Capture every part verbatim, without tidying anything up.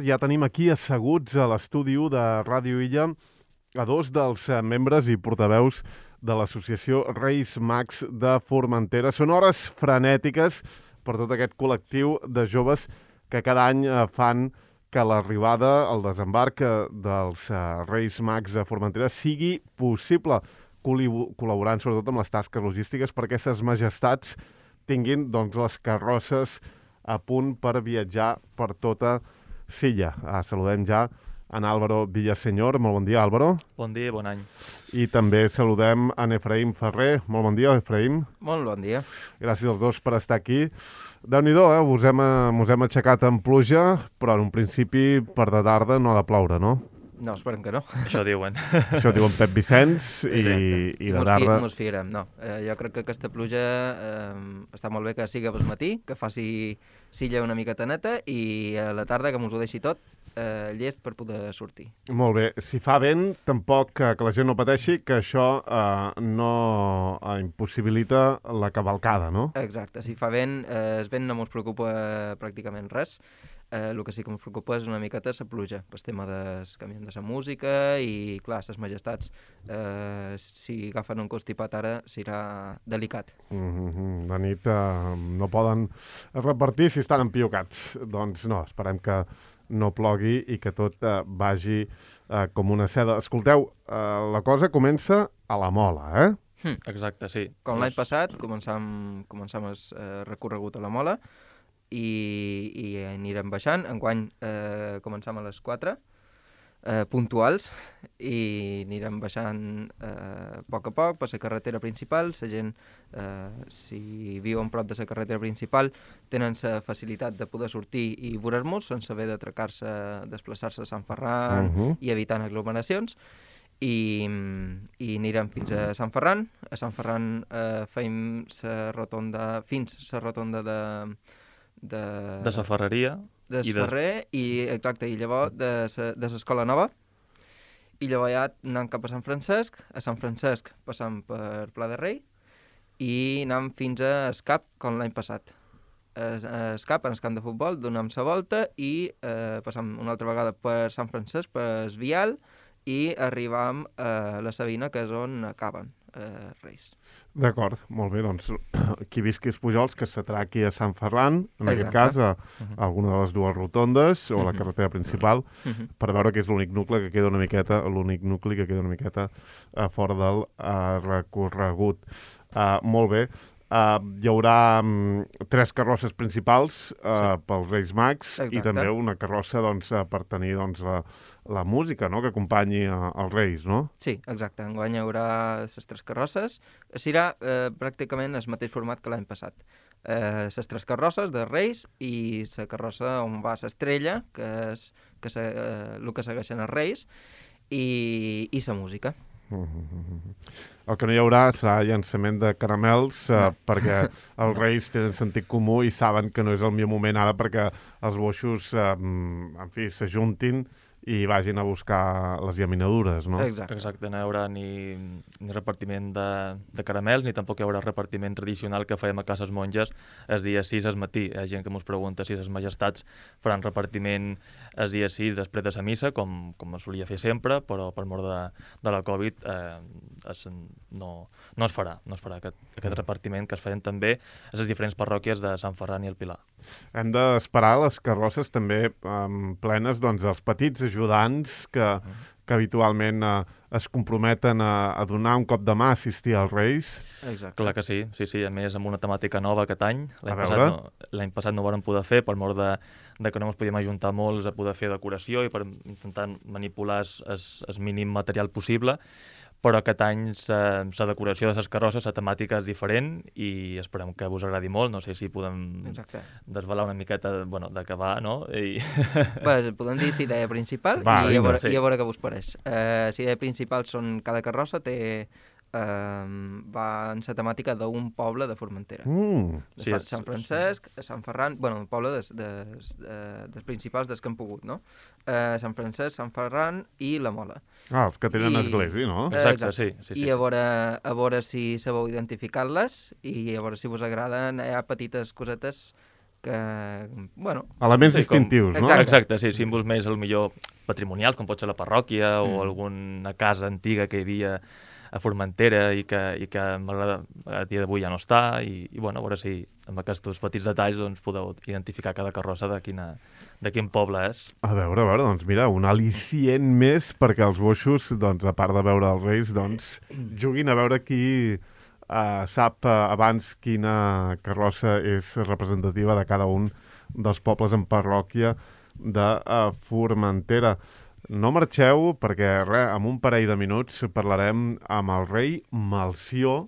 Ja tenim aquí asseguts a l'estudi u de Ràdio Illa a dos dels eh, membres i portaveus de l'associació Reis Mags de Formentera. Són hores frenètiques per tot aquest col·lectiu de joves que cada any eh, fan que l'arribada, el desembarc eh, dels eh, Reis Mags de Formentera sigui possible, col·laborant sobretot amb les tasques logístiques perquè ses majestats tinguin doncs, les carrosses a punt per viatjar per tota Silla. Ah, saludem ja en Álvaro Villaseñor. Molt bon dia, Álvaro. Bon dia i bon any. I també saludem en Efraïm Ferrer. Molt bon dia, Efraïm. Molt bon dia. Gràcies als dos per estar aquí. Déu-n'hi-do, eh? Us hem, us hem aixecat en pluja, però en un principi per de tarda no ha de ploure, no? No, esperem que no. Això diuen. Això diuen Pep Vicenç i, i de tarda... Mos fiarem, no. Eh, jo crec que aquesta pluja eh, està molt bé que sigui pel matí, que faci silla una miqueta neta i a la tarda que mos ho deixi tot eh, llest per poder sortir. Molt bé. Si fa vent, tampoc que, que la gent no pateixi, que això eh, no eh, impossibilita la cavalcada, no? Exacte. Si fa vent, eh, el vent no mos preocupa pràcticament res. Eh, el que sí que ens preocupa és una miqueta la pluja, pel tema del canvi de la música i, clar, les majestats. Eh, si agafen un constipat ara, serà delicat. Mm-hmm. La nit eh, no poden repartir si estan empiocats. Doncs no, esperem que no plogui i que tot eh, vagi eh, com una seda. Escolteu, eh, la cosa comença a la Mola, eh? Hm, exacte, sí. Com l'any passat, començam, començam el eh, recorregut a la Mola, i, i anirem baixant. Enguany eh, començam a les quatre, eh, puntuals, i anirem baixant eh, a poc a poc per la carretera principal. La gent, eh, si viuen prop de la carretera principal, tenen la facilitat de poder sortir i veure-nos sense haver d'atracar-se, desplaçar-se a Sant Ferran Uh-huh. i evitant aglomeracions. I, i anirem fins a Sant Ferran. A Sant Ferran eh, feim la rotonda, fins la rotonda de... de, De la ferreria. de i Ferrer, i exacte, i llavors de l'Escola Nova, i llavors ja anem cap a Sant Francesc. A Sant Francesc passam per Pla de Rei i anem fins a Escap, com l'any passat. A Escap, en el camp de futbol, donem la volta i eh, passam una altra vegada per Sant Francesc, per Vial, i arribam a la Sabina, que és on acaben eh, Reis. D'acord, molt bé, doncs qui visqui als Pujols que s'atraqui a Sant Ferran, en Exacte. aquest cas a, a alguna de les dues rotondes o a la carretera principal, Uh-huh. per veure que és l'únic nucli que queda una miqueta, l'únic nucli que queda una miqueta a fora del uh, recorregut. Uh, molt bé. Uh, hi haurà um, tres carrosses principals uh, sí. pels Reis Mags. Exacte. I també una carrossa doncs, uh, per tenir doncs, la, la música, no?, que acompanyi uh, els Reis, no? Sí, exacte. Enguany hi haurà les tres carrosses. Serà eh, pràcticament el mateix format que l'any passat. Eh, les tres carrosses de Reis i la carrossa on va l'estrella, que és que se, eh, el que segueixen els Reis, i, i la música. El que no hi haurà serà llançament de caramels eh, perquè els Reis tenen sentit comú i saben que no és el millor moment ara perquè els boixos eh, en fi, s'ajuntin i vagin a buscar les llaminadures, no? Exacte. Exacte, no hi haurà ni, ni repartiment de, de caramels, ni tampoc hi haurà repartiment tradicional que fèiem a cases monges el dia sis al matí. Hi ha gent que ens pregunta si les majestats faran repartiment el dia sis després de la missa, com, com es solia fer sempre, però per mort de, de la Covid eh, es, no, no es farà. No es farà aquest, aquest repartiment que es feien també a les diferents parròquies de Sant Ferran i el Pilar. Hem d'esperar les carrosses també um, plenes doncs, dels petits ajudants que, que habitualment uh, es comprometen a, a donar un cop de mà a assistir als Reis. Exacte. Clar que sí, sí, sí, a més amb una temàtica nova aquest any. L'any A passat, veure. no, l'any passat no ho vam poder fer per mort de, de que no ens podíem ajuntar molts a poder fer decoració i per intentar manipular el mínim material possible, però aquest any la decoració de les carrosses, la temàtica és diferent i esperem que us agradi molt. No sé si podem Exacte. desvelar una miqueta bueno, de què va, no? I... Bé, podem dir la idea principal Va, i, a vinga, veure, sí. i a veure què vos pareix. Eh, la idea principal són cada carrossa té eh, va en la temàtica d'un poble de Formentera. Mm. De Sí, sí, és- Sant Francesc, Sant Ferran, bueno, un poble des, des, des, des principals des que hem pogut, no? Eh, Sant Francesc, Sant Ferran i la Mola. Ah, els que tenen I- església, no? Eh, Exacte, sí, sí, sí. I a veure, a veure si sabeu identificar-les i a veure si vos agraden. Hi ha petites cosetes que, bueno... Elements Sí, com- distintius, no? Exacte. Exacte, sí, símbols més, al millor, patrimonials, com pot ser la parròquia Mm. o alguna casa antiga que hi havia a Formentera i que, i que m'agrada, a dia d'avui ja no està, i, i bueno, a veure si amb aquests petits detalls doncs, podeu identificar cada carrossa de, quina, de quin poble és. A veure, a veure, doncs mira, un al·licient més perquè els boixos, doncs, a part de veure els Reis, doncs, juguin a veure qui uh, sap uh, abans quina carrossa és representativa de cada un dels pobles en parròquia de uh, Formentera. No marxeu, perquè res, en un parell de minuts parlarem amb el rei Melcior,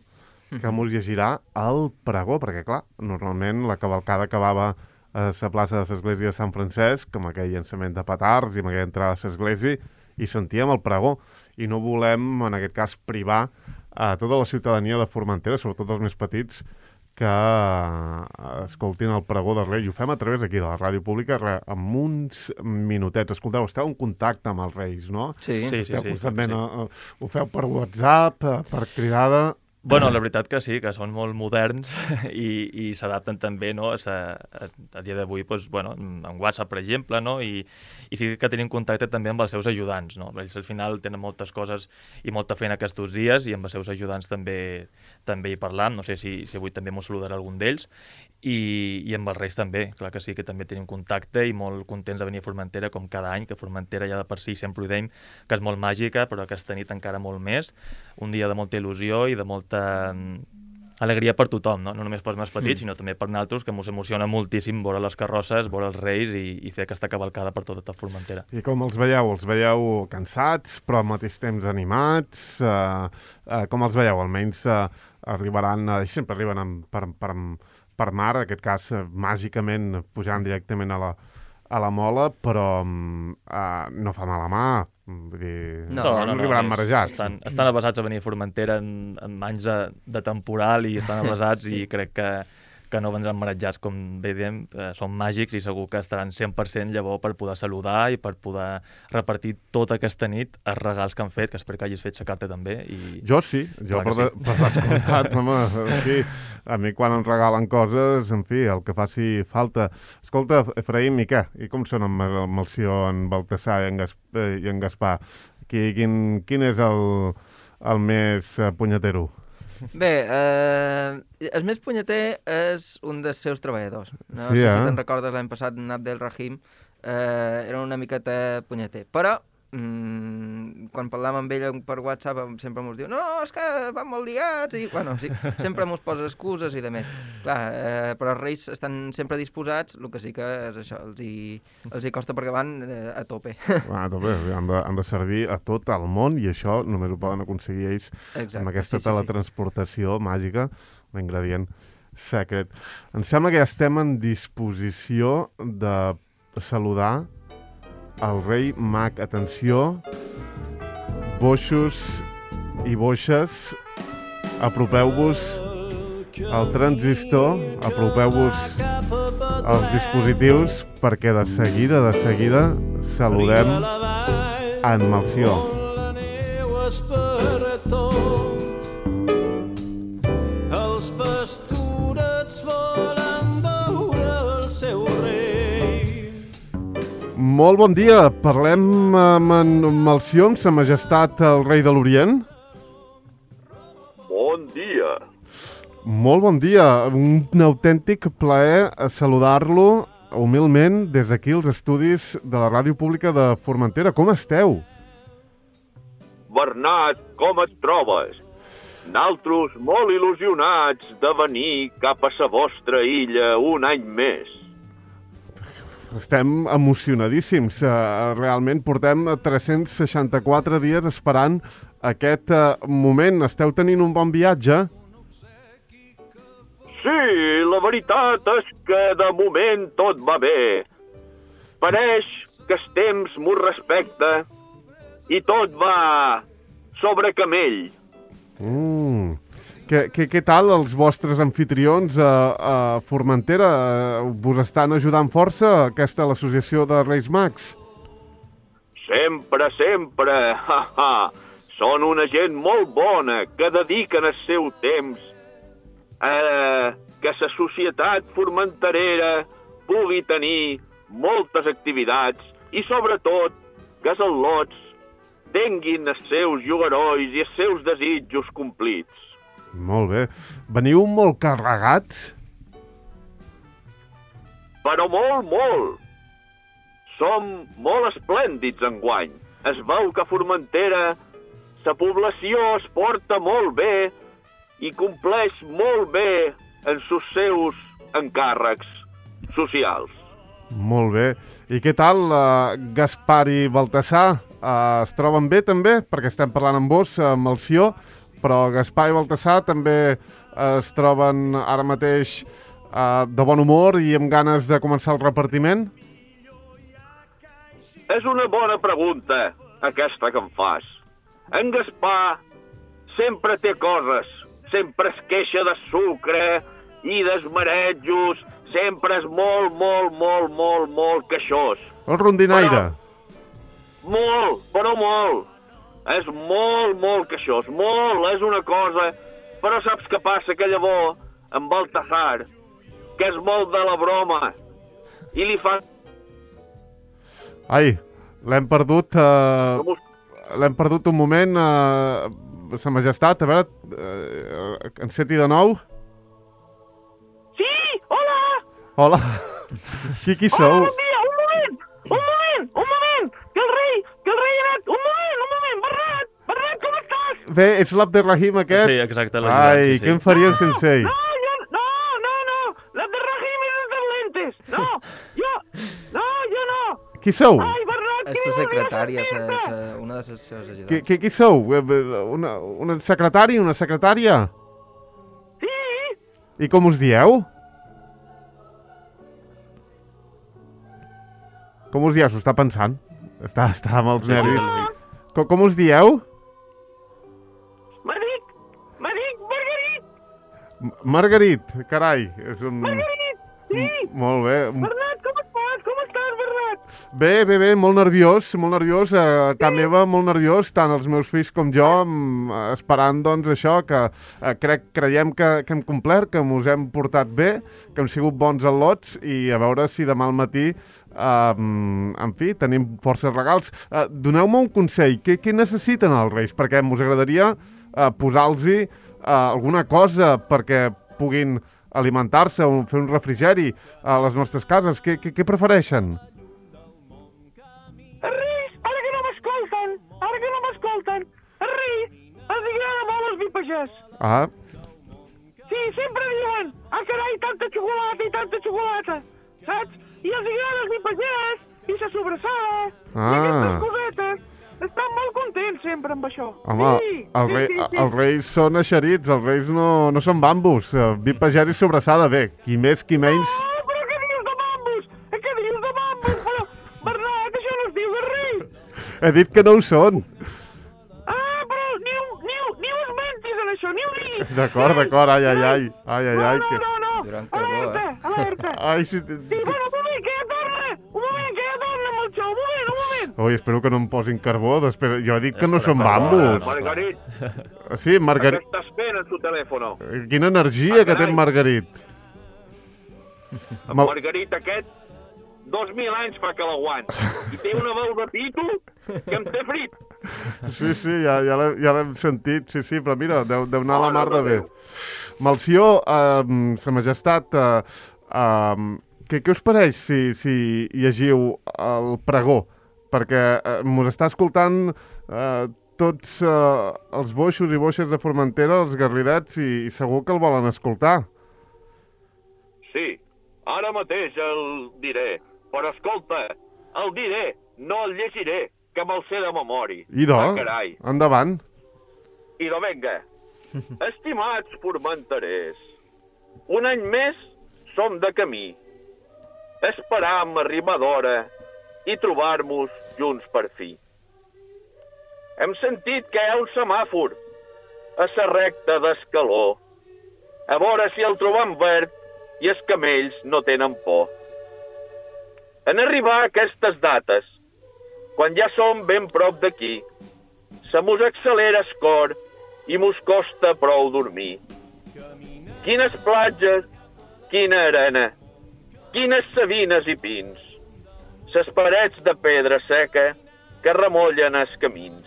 que mos llegirà el pregó, perquè, clar, normalment la cavalcada acabava a la plaça de l'església de Sant Francesc, amb aquell llançament de petards i amb aquella entrada a l'església, i sentíem el pregó. I no volem, en aquest cas, privar a tota la ciutadania de Formentera, sobretot els més petits, que escoltin el pregó del rei. I ho fem a través aquí de la ràdio pública amb uns minutets. Escolteu, esteu en contacte amb els reis, no? Sí, Sí, sí, Esteu sí. constantment, sí. eh, ho feu per WhatsApp, eh, per cridada... Bueno, la veritat que sí, que són molt moderns i, i s'adapten també, no? A, a, a dia d'avui, doncs, bueno, en WhatsApp, per exemple, no? I, i sí que tenim contacte també amb els seus ajudants, no? Ells al final tenen moltes coses i molta feina aquests dies i amb els seus ajudants també també hi parlam, no sé si, si avui també m'ho saludarà algun d'ells, i, i amb els Reis també, clar que sí, que també tenim contacte i molt contents de venir a Formentera com cada any, que Formentera ja de per si sempre ho deim, que és molt màgica, però aquesta nit encara molt més, un dia de molta il·lusió i de molta alegria per tothom, no? No només pels més petits, mm. sinó també per nosaltres, que ens emociona moltíssim veure les carrosses, veure els Reis i, i fer aquesta cavalcada per tota Formentera. I com els veieu? Els veieu cansats, però al mateix temps animats? Uh, uh, com els veieu? Almenys uh, arribaran, uh, sempre arriben amb, per, per, per mar, en aquest cas, uh, màgicament pujant directament a la, a la mola, però uh, no fa mal a mà. Vull dir, No, no, no, no arribaran és- marejats. Estan, estan avasats a venir a Formentera en, en anys de, de temporal i estan avasats i crec que, que no vendran marejats, com bé diem, eh, són màgics i segur que estaran cent per cent llavors per poder saludar i per poder repartir tota aquesta nit els regals que han fet, que espero que hagis fet sa carta també. I... Jo sí, jo Clar per, que de, per descomptat, home, en fi, a mi quan em regalen coses, en fi, el que faci falta. Escolta, Efraïm, i què? I com són en Mal- Melcior, en Baltasar i en, Gas, eh, i en Gaspar? Qui, quin, quin és el, el més eh, punyetero? Bé, eh, el més punyeter és un dels seus treballadors. No Sí, sé eh? si te'n recordes l'any passat, en Abdel Rahim, eh, era una miqueta punyeter. Però, mm, quan parlàvem amb ell per WhatsApp, sempre mos diu no, és que van molt liats, i, bueno, sí, sempre mos posa excuses i de més. Clar, eh, però els Reis estan sempre disposats, el que sí que és això, els hi, els hi costa perquè van eh, a tope. Ah, també, han de, han de servir a tot el món i això només ho poden aconseguir ells Exacte, amb aquesta sí, sí, sí. teletransportació màgica, l'ingredient secret. Em sembla que ja estem en disposició de saludar el rei mag. Atenció, boixos i boixes, apropeu-vos al transistor, apropeu-vos als dispositius, perquè de seguida, de seguida, saludem en Melcior. Els pastorets volen veure el seu rei. Molt bon dia, parlem amb en Melcior, amb sa majestat el rei de l'Orient. Bon dia. Molt bon dia, un autèntic plaer saludar-lo humilment des d'aquí als estudis de la Ràdio Pública de Formentera. Com esteu? Bernat, com et trobes? Naltros molt il·lusionats de venir cap a sa vostra illa un any més. Estem emocionadíssims. Uh, realment portem tres-cents seixanta-quatre dies esperant aquest uh, moment. Esteu tenint un bon viatge? Sí, la veritat és que de moment tot va bé. Pareix que el temps m'ho respecta i tot va sobre camell. Mm. Què, què, què tal els vostres anfitrions a, a Formentera? Uh, vos estan ajudant força aquesta l'associació de Reis Mags? Sempre, sempre. Ha, ha. Són una gent molt bona que dediquen el seu temps a que la societat formenterera pugui tenir moltes activitats i, sobretot, que els al·lots tinguin els seus jugarois i els seus desitjos complits. Molt bé. Veniu molt carregats? Però molt, molt. Som molt esplèndids enguany. Es veu que a Formentera la població es porta molt bé i compleix molt bé en els seus encàrrecs socials. Molt bé. I què tal, uh, Gaspar i Baltasar? Uh, es troben bé també? Perquè estem parlant amb vos, amb el Sió, però Gaspar i Baltasar també uh, es troben ara mateix uh, de bon humor i amb ganes de començar el repartiment? És una bona pregunta, aquesta que em fas. En Gaspar sempre té coses, sempre es queixa de sucre i d'esmarejos, sempre és molt, molt, molt, molt, molt queixós. El rondinaire. Però, molt, però molt. És molt, molt queixós, molt, és una cosa. Però saps què passa? Que llavors, amb Baltasar, que és molt de la broma, i li fa... Ai, l'hem perdut... Uh... L'hem perdut un moment, uh, Sa Majestat, a veure, uh, enceti de nou. Sí, hola! Hola, qui, qui sou? Hola, bon dia, un moment, un moment, un moment, que el rei, que el rei ha anat, un moment, un moment, Bernat, Bernat, com estàs? Bé, ets l'Abderrahim aquest? Sí, exacte. Ai, sí, sí. què en faríem no, sense ell? No, jo, no, no, no, l'Abderrahim és el de lentes, no, jo, no, jo no. Qui sou? Ai, Bernat, És la secretària, sa, sa, una de les seves ajudants. Qui, qui, qui sou? Una, una secretari, una secretària? Sí. I com us dieu? Com us dieu? S'ho està pensant. Està, està amb els nervis. Sí, com, com us dieu? Me dic, me dic Margarit. M Margarit, carai. És un... Margarit, sí. M molt bé. Bernat, com estàs? Com estàs, Bernat? Bé, bé, bé, molt nerviós, molt nerviós. A casa meva, molt nerviós, tant els meus fills com jo, esperant, doncs, això, que eh, crec, creiem que, que hem complert, que ens hem portat bé, que hem sigut bons al·lots i a veure si demà al matí, eh, en fi, tenim forces regals. Eh, Doneu-me un consell, què, què necessiten els Reis? Perquè ens agradaria eh, posar-los eh, alguna cosa perquè puguin alimentar-se o fer un refrigeri a les nostres cases. Què, què, què prefereixen? Els Reis, ara que no m'escolten, ara que no m'escolten, els Reis els agrada molt els vipagès. Ah, Sí, sempre diuen, ah, carai, tanta xocolata i tanta xocolata, saps? I els agrada els vipagès i la sobrassada Ah. i aquestes cosetes. Estan molt contents sempre amb això. home, sí, el sí, rei, sí, sí. els reis són eixerits, els reis no, no són bambus. Uh, Vi pagès i sobrassada, bé, qui més, qui menys... Ah, però què dius de bambus? Què dius de bambus? Però, Bernat, això no es diu de rei. He dit que no ho són. Ah, però ni ho, ni ho, ni ho esmentis en això, ni ho diguis. D'acord, d'acord, ai, ai, ai, ai, ai, ai, No, que... no, no, Durant no. carbó, Alerta, eh? alerta. Ai, si... Sí, bueno, un moment, que ja torna. Un moment, que ja torna amb el xou. Un moment, un moment. Ui, espero que no em posin carbó, després... Jo he dit que no Espera, són perdó, bambus. Margarit, Sí, Margarit... ¿qué estás fent en su teléfono? Quina energia Ah, que té carai. en Margarit. En Mal- Margarit aquest, dos mil anys fa que l'aguant. I té una veu de pito que em té frit. Sí, sí, ja, ja l'hem ja l'hem sentit, sí, sí, però mira, deu, deu anar a la Mare mar de de bé. Déu. Malció, eh, Sa Majestat, eh, eh, què, què us pareix si, si llegiu el pregó? Perquè eh, mos està escoltant eh, tots eh, els boixos i boixes de Formentera, els garridets, i, i segur que el volen escoltar. Sí, ara mateix el diré. Però escolta, el diré, no el llegiré, que me'l sé de memòria. Idò, Ah, carai. endavant. Idò, venga. Estimats formenterers, un any més som de camí. Esperam arribar d'hora i trobar-nos junts per fi. Hem sentit que hi ha un semàfor a la recta d'Escaló. A veure si el trobam verd i els camells no tenen por. En arribar a aquestes dates, quan ja som ben prop d'aquí, se mos accelera el cor i mos costa prou dormir. Quines platges, quina arena, quines savines i pins, ses parets de pedra seca que remollen els camins.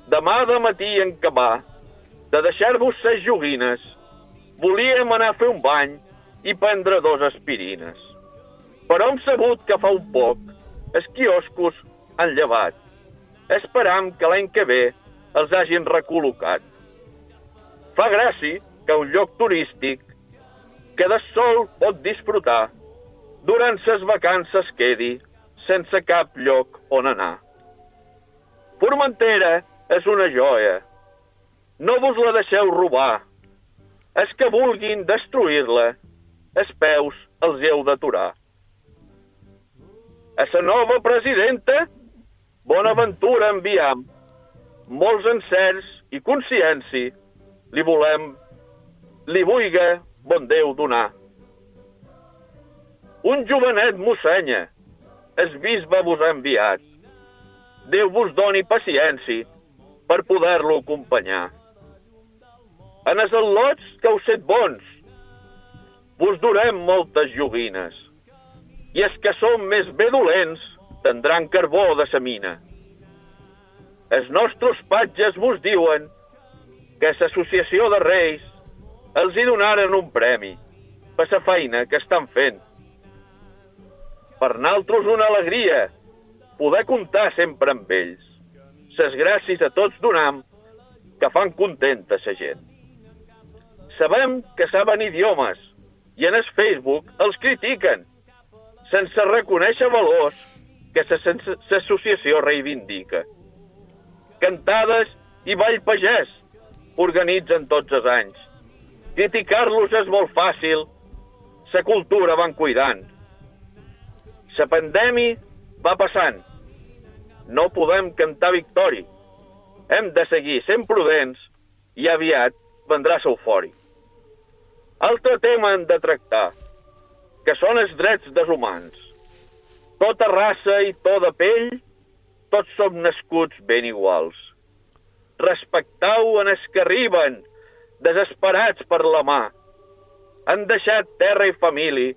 Demà de matí en acabar de deixar-vos ses joguines, volíem anar a fer un bany i prendre dos aspirines. Però hem sabut que fa un poc els quioscos han llevat. Esperam que l'any que ve els hagin recol·locat. Fa gràcia que un lloc turístic que de sol pot disfrutar durant ses vacances quedi sense cap lloc on anar. Formentera és una joia. No vos la deixeu robar. Els que vulguin destruir-la, els peus els heu d'aturar. A la nova presidenta, Bonaventura enviam. Molts encerts i consciència li volem, li vulga bon Déu donar. Un jovenet mossenya, el bisbe vos ha enviat. Déu vos doni paciència per poder-lo acompanyar. En els al·lots que heu set bons, vos durem moltes joguines, i els que som més bé dolents tindran carbó de sa mina. Els nostres patges vos diuen que l'associació de reis els hi donaren un premi per la feina que estan fent. Per naltros una alegria poder comptar sempre amb ells. Ses gràcies a tots donam que fan contenta sa gent. Sabem que saben idiomes i en el Facebook els critiquen sense reconèixer valors que l'associació reivindica. Cantades i ball pagès organitzen tots els anys. Criticar-los és molt fàcil, la cultura van cuidant. La pandèmia va passant. No podem cantar victòria. Hem de seguir sent prudents i aviat vendrà l'eufòria. Altre tema hem de tractar, que són els drets dels humans. Tota raça i tota pell, tots som nascuts ben iguals. Respectau en els que arriben, desesperats per la mà. Han deixat terra i família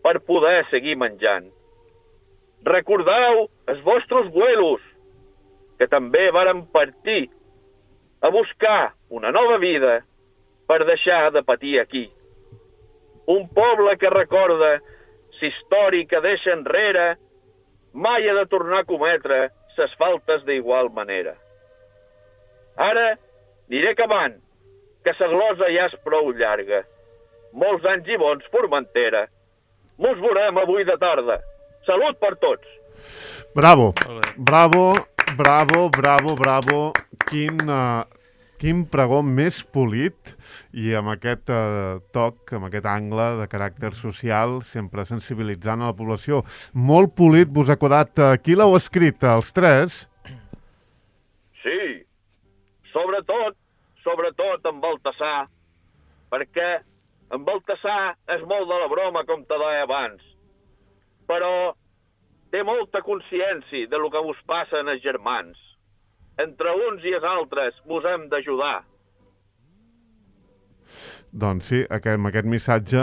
per poder seguir menjant. Recordeu els vostres vuelos, que també varen partir a buscar una nova vida per deixar de patir aquí. Un poble que recorda la història que deixa enrere mai ha de tornar a cometre ses faltes d'igual manera. Ara aniré acabant, que sa glosa ja és prou llarga. Molts anys i bons, Formentera. Mos veurem avui de tarda. Salut per tots! Bravo, bravo, bravo, bravo, bravo. Quin, uh, quin pregó més polit i amb aquest uh, toc, amb aquest angle de caràcter social, sempre sensibilitzant a la població. Molt polit vos ha quedat. Uh, qui l'heu escrit, els tres? Sí, sobretot, sobretot en Baltasar, perquè en Baltasar és molt de la broma, com te deia abans, però té molta consciència de lo que vos passa en els germans. Entre uns i els altres vos hem d'ajudar. Doncs sí, aquest, amb aquest missatge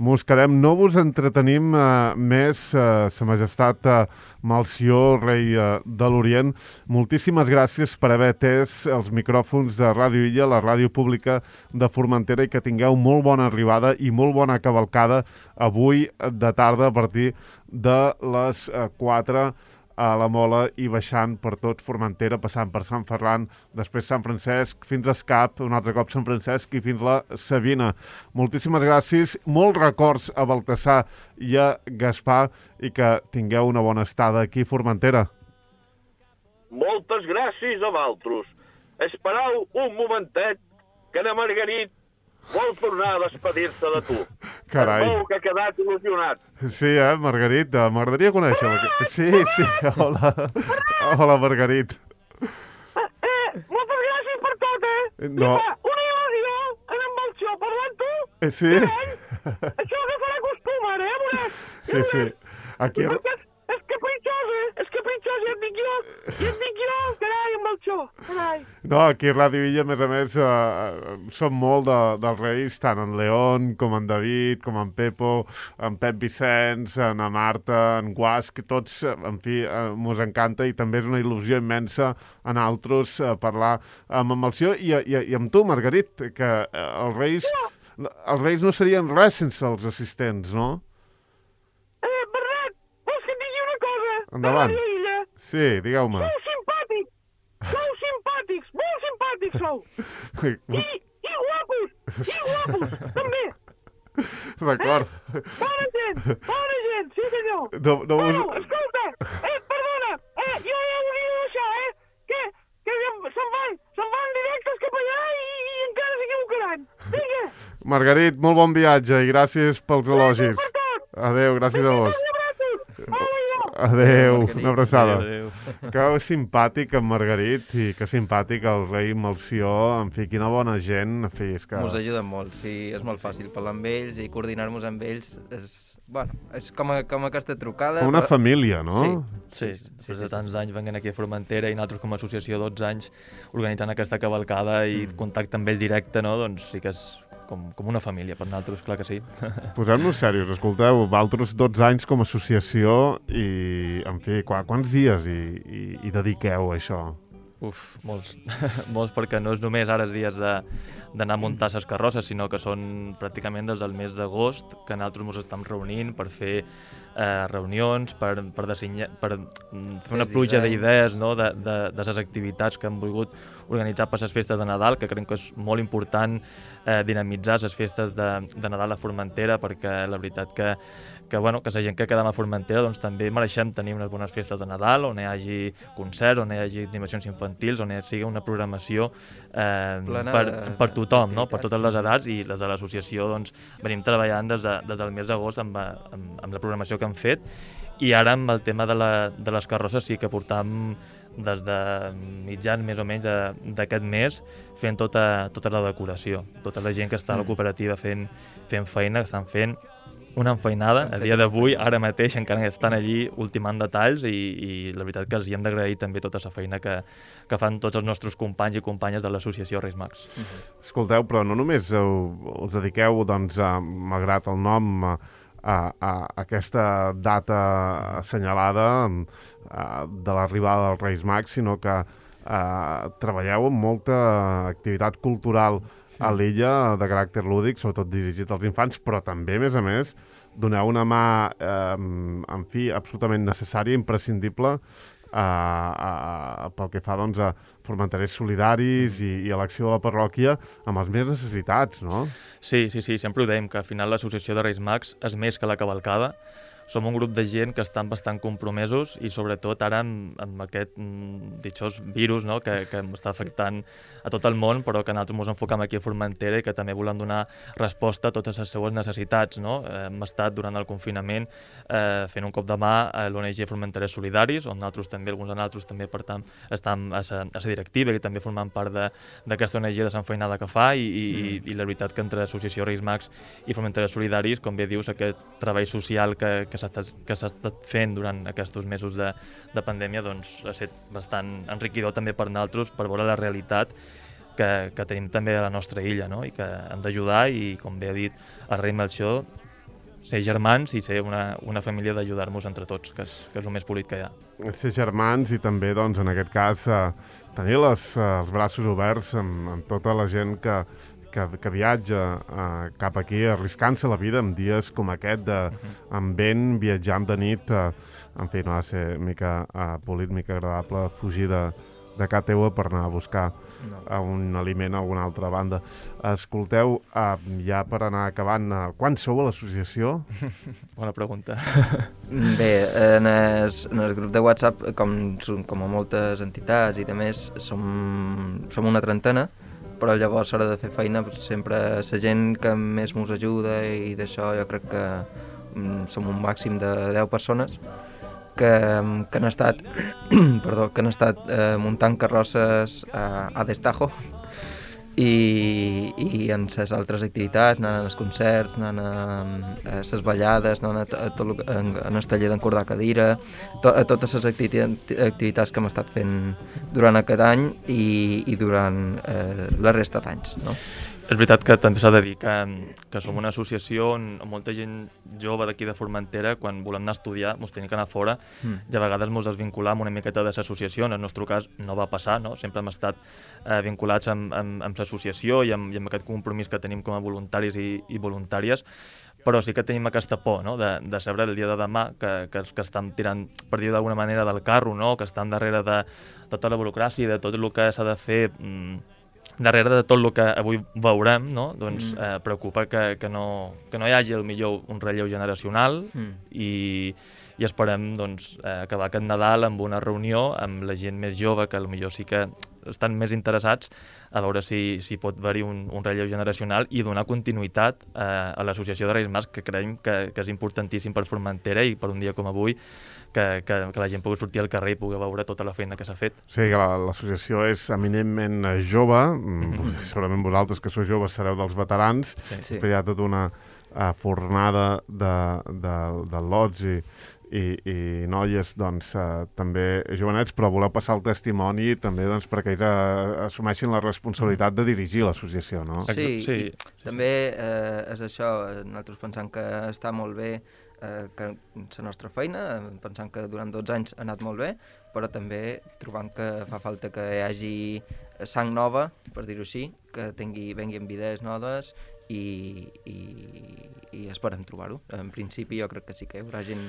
mos quedem. No vos entretenim eh, més, eh, Sa Majestat eh, Melcior, rei eh, de l'Orient. Moltíssimes gràcies per haver atès els micròfons de Ràdio Illa, la ràdio pública de Formentera, i que tingueu molt bona arribada i molt bona cavalcada avui de tarda a partir de les eh, quatre a la Mola i baixant per tot Formentera, passant per Sant Ferran, després Sant Francesc, fins a Escap, un altre cop Sant Francesc i fins a Savina. Moltíssimes gràcies, molts records a Baltasar i a Gaspar i que tingueu una bona estada aquí a Formentera. Moltes gràcies a vosaltres. Esperau un momentet que na Margarit vol tornar a despedir-se de tu. Carai. Es veu que ha quedat il·lusionat. Sí, eh, Margarita? M'agradaria conèixer-la. Sí, sí, hola. Hola, Margarit. Eh, moltes gràcies per tot, eh? No. Mira, una il·lusió en en Melcior parlant tu. Eh, sí? Això que farà costum, ara, eh, veuràs? Sí, sí. Aquí... Perquè és, és capritxosa, és capritxosa, ja et dic jo. Ja et dic jo, carai, Melxor, carai. No, aquí a Ràdio Illa, a més a més, eh, som molt de, dels Reis, tant en León com en David, com en Pepo, en Pep Vicenç, en Marta, en Guasc, tots, en fi, eh, mos encanta i també és una il·lusió immensa a nosaltres eh, parlar amb en Melcior i, i, i amb tu, Margarit, que eh, els Reis, els Reis no serien res sense els assistents, no? Eh, Bernat, vols que et digui una cosa? Endavant. A Ràdio Illa? Sí, digueu-me. Sou simpàtics, sou simpàtics, molt simpàtics sou. I, i guapos, i guapos, també. D'acord. Eh? Bona gent, bona gent, sí senyor. No, no us... Bueno, escolta, eh, perdona, eh, jo ja ho dic això, eh, que, que se'n van, se'n van directes cap allà i, i encara s'equivocaran. Vinga. Margarit, molt bon viatge i gràcies pels elogis. Gràcies per tot. Adéu, gràcies a vos. Hola, Adéu, una abraçada. Adéu, adéu. Que simpàtic en Margarit i que simpàtic el rei Melcior, en fi, quina bona gent, en fi, és que... Mos ajuden molt, sí, és molt fàcil parlar amb ells i coordinar-nos amb ells és, bueno, és com, a, com aquesta trucada. Com una però... família, no? Sí, després de tants anys venint aquí a Formentera i nosaltres com a associació dotze anys organitzant aquesta cavalcada i contacte amb ells directe, no? Doncs sí que és com, com una família per nosaltres, clar que sí. Posem-nos serios, escolteu, vosaltres dotze anys com a associació i, en fi, qu quants dies hi, hi, hi dediqueu a això? Uf, molts, molts perquè no és només ara els dies de d'anar a muntar les carrosses, sinó que són pràcticament des del mes d'agost que nosaltres ens estem reunint per fer eh, reunions, per, per, designar, per fer una pluja d'idees, no? de, de, de les activitats que hem volgut organitzar per les festes de Nadal, que creiem que és molt important eh, dinamitzar les festes de, de Nadal a Formentera, perquè la veritat que, que, bueno, que la gent que quedem a Formentera doncs, també mereixem tenir unes bones festes de Nadal, on hi hagi concerts, on hi hagi animacions infantils, on hi sigui una programació eh, per, per tothom, no? Per totes les edats, i les de l'associació doncs, venim treballant des, de, des del mes d'agost amb, amb, amb la programació que hem fet, i ara amb el tema de, la, de les carrosses sí que portam des de mitjan més o menys d'aquest mes fent tota, tota la decoració, tota la gent que està a la cooperativa fent, fent feina, que estan fent una enfeinada a dia d'avui, ara mateix encara estan allí ultimant detalls i, i la veritat que els hi hem d'agrair també tota la feina que, que fan tots els nostres companys i companyes de l'associació Reis Mags. Uh-huh. Escolteu, però no només heu, us dediqueu, doncs, a, malgrat el nom, a, a, a aquesta data assenyalada a, de l'arribada dels Reis Mags, sinó que a, treballeu amb molta activitat cultural a l'illa de caràcter lúdic, sobretot dirigit als infants, però també, a més a més, doneu una mà, eh, en fi, absolutament necessària, imprescindible, eh, eh, pel que fa doncs, a formenterers solidaris i, i a l'acció de la parròquia amb els més necessitats, no? Sí, sí, sí, sempre ho dèiem, que al final l'associació de Reis Mags és més que la cavalcada. Som un grup de gent que estan bastant compromesos i sobretot ara amb, amb aquest mm, ditxós virus, no? que, que està afectant a tot el món, però que nosaltres ens enfocam aquí a Formentera i que també volem donar resposta a totes les seues necessitats. No? Eh, hem estat durant el confinament eh, fent un cop de mà a l'O N G Formenterers Solidaris, on nosaltres també, alguns de nosaltres també per tant estem a la directiva i també formant part d'aquesta O N G de Sant Feinada que fa i, i, mm. i la veritat que entre l'associació Reis Mags i Formenterers Solidaris, com bé dius, aquest treball social que, que que s'ha estat, que s'ha estat fent durant aquests mesos de, de pandèmia doncs, ha estat bastant enriquidor també per nosaltres, per veure la realitat que, que tenim també a la nostra illa, no? I que hem d'ajudar i, com bé ha dit el rei Melcior, ser germans i ser una, una família d'ajudar-nos entre tots, que és, que és el més polit que hi ha. Ser germans i també, doncs, en aquest cas, eh, tenir les, eh, els braços oberts amb, amb tota la gent que, que, que viatja eh, cap aquí, arriscant-se la vida en dies com aquest, de, amb vent, viatjant de nit, eh, en fi, no ha de ser mica eh, polit, mica agradable fugir de, de casa teua per anar a buscar no. un aliment a alguna altra banda. Escolteu, eh, ja per anar acabant, eh, quan sou a l'associació? Bona pregunta. Bé, en el, en el grup de WhatsApp, com, com a moltes entitats i de més, som, som una trentena, però llavors a l'hora de fer feina sempre la gent que més ens ajuda i d'això jo crec que mm, som un màxim de deu persones que, que han estat, perdó, que han estat eh, muntant carrosses a, a Destajo i, i en les altres activitats, anant als concerts, anant a les ballades, anant a, a, tot, lo- en, en el taller d'encordar cadira, to, a totes les activi activitats que hem estat fent durant aquest any i, i durant eh, la resta d'anys, no? És veritat que també s'ha de dir que, que som una associació on molta gent jove d'aquí de Formentera, quan volem anar a estudiar, ens tenim que anar fora Mm. i a vegades ens desvinculam una miqueta de l'associació. En el nostre cas no va passar, no? Sempre hem estat eh, vinculats amb, amb, amb l'associació i amb, i amb aquest compromís que tenim com a voluntaris i, i voluntàries, però sí que tenim aquesta por, no? de, de saber el dia de demà que, que, que estan tirant, per dir d'alguna manera, del carro, no? Que estan darrere de tota la burocràcia i de tot el que s'ha de fer mm, darrere de tot el que avui veurem, no? Doncs Mm. eh, preocupa que, que, no, que no hi hagi el millor un relleu generacional Mm. i, i esperem doncs, eh, acabar aquest Nadal amb una reunió amb la gent més jove que potser sí que estan més interessats a veure si, si pot haver-hi un, un relleu generacional i donar continuïtat eh, a l'associació de Reis Mags, que creiem que, que és importantíssim per Formentera i per un dia com avui que, que, que la gent pugui sortir al carrer i pugui veure tota la feina que s'ha fet. Sí, que la- l'associació és eminentment eh, jove, mm, segurament vosaltres que sou joves sereu dels veterans, Sí. Sí. però hi ha tota una uh, fornada de, de, de lots i, i, i noies doncs, uh, també jovenets, però voleu passar el testimoni també doncs, perquè ells uh, assumeixin la responsabilitat de dirigir l'associació, no? Exa- Sí, sí, i sí, també eh, és això, eh, nosaltres pensant que està molt bé eh, que la nostra feina, eh, pensant que durant dotze anys ha anat molt bé, però també trobant que fa falta que hi hagi sang nova, per dir-ho així, que tingui, vengui amb idees noves i, i, i esperem trobar-ho. En principi jo crec que sí que hi haurà gent.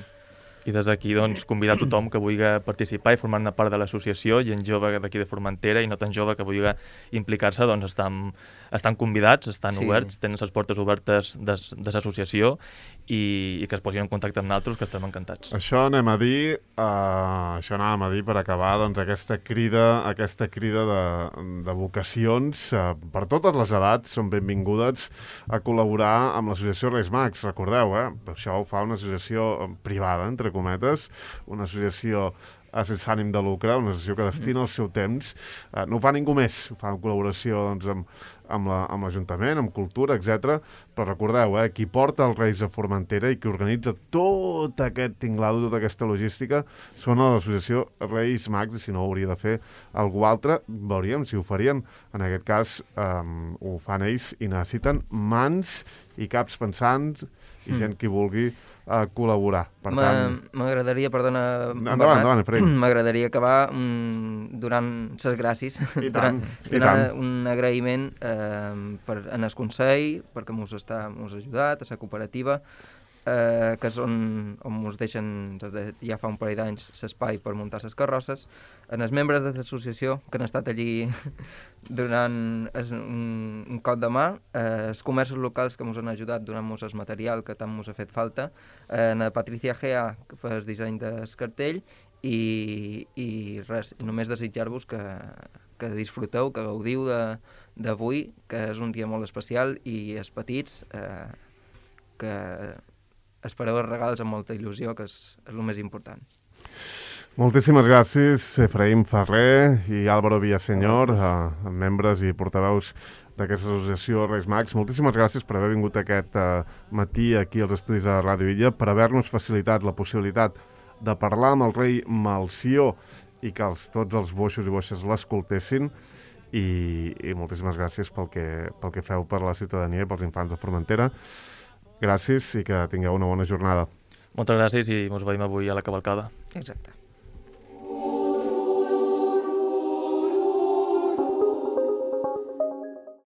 I des d'aquí doncs, convidar tothom que vulgui participar i formar-ne part de l'associació, gent jove d'aquí de Formentera i no tan jove que vulgui implicar-se, doncs estan, estan convidats, estan Sí. oberts, tenen les portes obertes de, de l'associació i, i que es posin en contacte amb nosaltres, que estem encantats. Això anem a dir, uh, això anàvem a dir per acabar doncs, aquesta crida, aquesta crida de, de vocacions uh, per totes les edats són benvingudes a col·laborar amb l'associació Reis Mags. Recordeu, eh? Això ho fa una associació eh, privada, entre cometes, una associació eh, sense ànim de lucre, una associació que destina el seu temps. Eh, no ho fa ningú més, ho fa en col·laboració doncs, amb, amb la- amb l'Ajuntament, amb cultura, etcètera. Però recordeu, eh, qui porta els Reis a Formentera i qui organitza tot aquest tinglado, tota aquesta logística, són a l'associació Reis Mags, i si no ho hauria de fer algú altre, veuríem si ho farien. En aquest cas eh, ho fan ells i necessiten mans i caps pensants i Mm. gent que vulgui eh, col·laborar. Per M'a- tant, M'agradaria, perdona, Endavant, Bernat, endavant, Efraïm. m'agradaria acabar mm, donant les gràcies, I tant, i donant tant. un agraïment eh, per, en el Consell, perquè mos està mos ha ajudat, a la cooperativa, eh, que és on, on mos deixen des de ja fa un parell d'anys l'espai per muntar les carrosses, en els membres de l'associació que han estat allí donant es, un, un cop de mà, eh, els comerços locals que ens han ajudat donant-nos el material que tant ens ha fet falta, eh, en Patricia Gea que fa el disseny del cartell i, i res, només desitjar-vos que, que disfruteu, que gaudiu de- d'avui, que és un dia molt especial i els petits eh, que espereu els regals amb molta il·lusió, que és, és el més important. Moltíssimes gràcies, Efraïm Ferrer i Álvaro Villaseñor, eh, membres i portaveus d'aquesta associació Reis Mags. Moltíssimes gràcies per haver vingut aquest eh, matí aquí als estudis de Ràdio Illa, per haver-nos facilitat la possibilitat de parlar amb el rei Melcior i que els, tots els boixos i boixes l'escoltessin. I, i moltíssimes gràcies pel que, pel que feu per la ciutadania i pels infants de Formentera. Gràcies i que tingueu una bona jornada. Moltes gràcies i ens veiem avui a la cavalcada. Exacte.